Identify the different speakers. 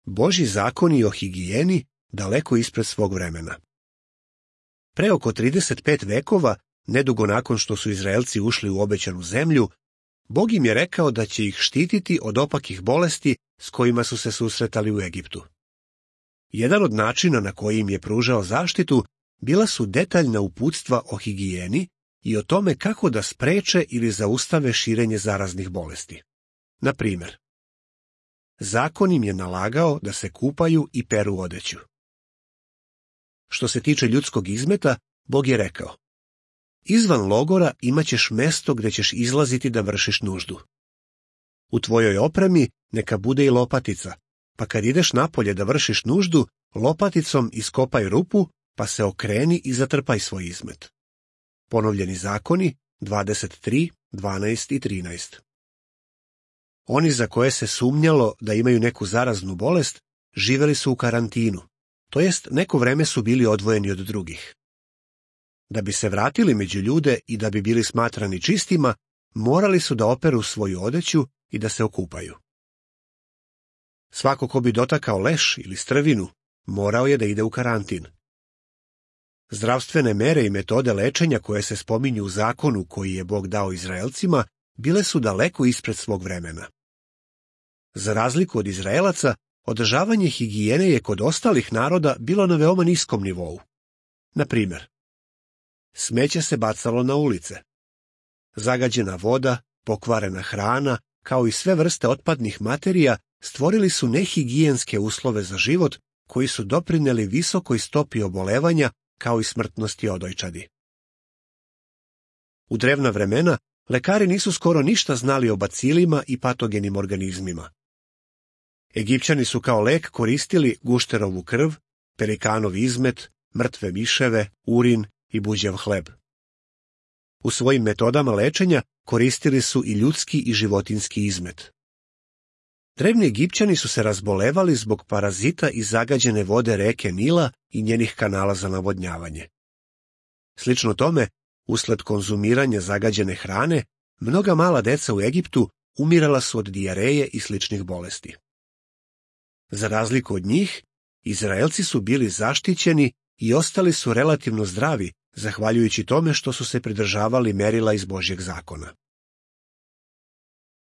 Speaker 1: Božji zakoni o higijeni daleko ispred svog vremena. Pre oko 35 vekova, nedugo nakon što su Izraelci ušli u obećanu zemlju, Bog im je rekao da će ih štititi od opakih bolesti s kojima su se susretali u Egiptu. Jedan od načina na koji im je pružao zaštitu bila su detaljna uputstva o higijeni i o tome kako da spreče ili zaustave širenje zaraznih bolesti. Na primjer, zakon im je nalagao da se kupaju i peru odeću. Što se tiče ljudskog izmeta, Bog je rekao: izvan logora imaćeš mesto gde ćeš izlaziti da vršiš nuždu. U tvojoj opremi neka bude i lopatica, pa kad ideš napolje da vršiš nuždu, lopaticom iskopaj rupu, pa se okreni i zatrpaj svoj izmet. Ponovljeni zakoni 23, 12 i 13. Oni za koje se sumnjalo da imaju neku zaraznu bolest, živeli su u karantinu, to jest neko vreme su bili odvojeni od drugih. Da bi se vratili među ljude i da bi bili smatrani čistima, morali su da operu svoju odeću i da se okupaju. Svako ko bi dotakao leš ili strvinu, morao je da ide u karantin. Zdravstvene mere i metode lečenja koje se spominju u zakonu koji je Bog dao Izraelcima, bile su daleko ispred svog vremena. Za razliku od Izraelaca, održavanje higijene je kod ostalih naroda bilo na veoma niskom nivou. Na primjer, smeće se bacalo na ulice. Zagađena voda, pokvarena hrana, kao i sve vrste otpadnih materija, stvorili su nehigijenske uslove za život koji su doprineli visokoj stopi obolevanja kao i smrtnosti odojčadi. U drevna vremena lekari nisu skoro ništa znali o bacilima i patogenim organizmima. Egipćani su kao lek koristili gušterovu krv, pelikanov izmet, mrtve miševe, urin i buđev hleb. U svojim metodama lečenja koristili su i ljudski i životinjski izmet. Drevni Egipćani su se razbolevali zbog parazita iz zagađene vode reke Nila i njenih kanala za navodnjavanje. Slično tome, usled konzumiranja zagađene hrane, mnoga mala deca u Egiptu umirala su od dijareje i sličnih bolesti. Za razliku od njih, Izraelci su bili zaštićeni i ostali su relativno zdravi, zahvaljujući tome što su se pridržavali merila iz Božjeg zakona.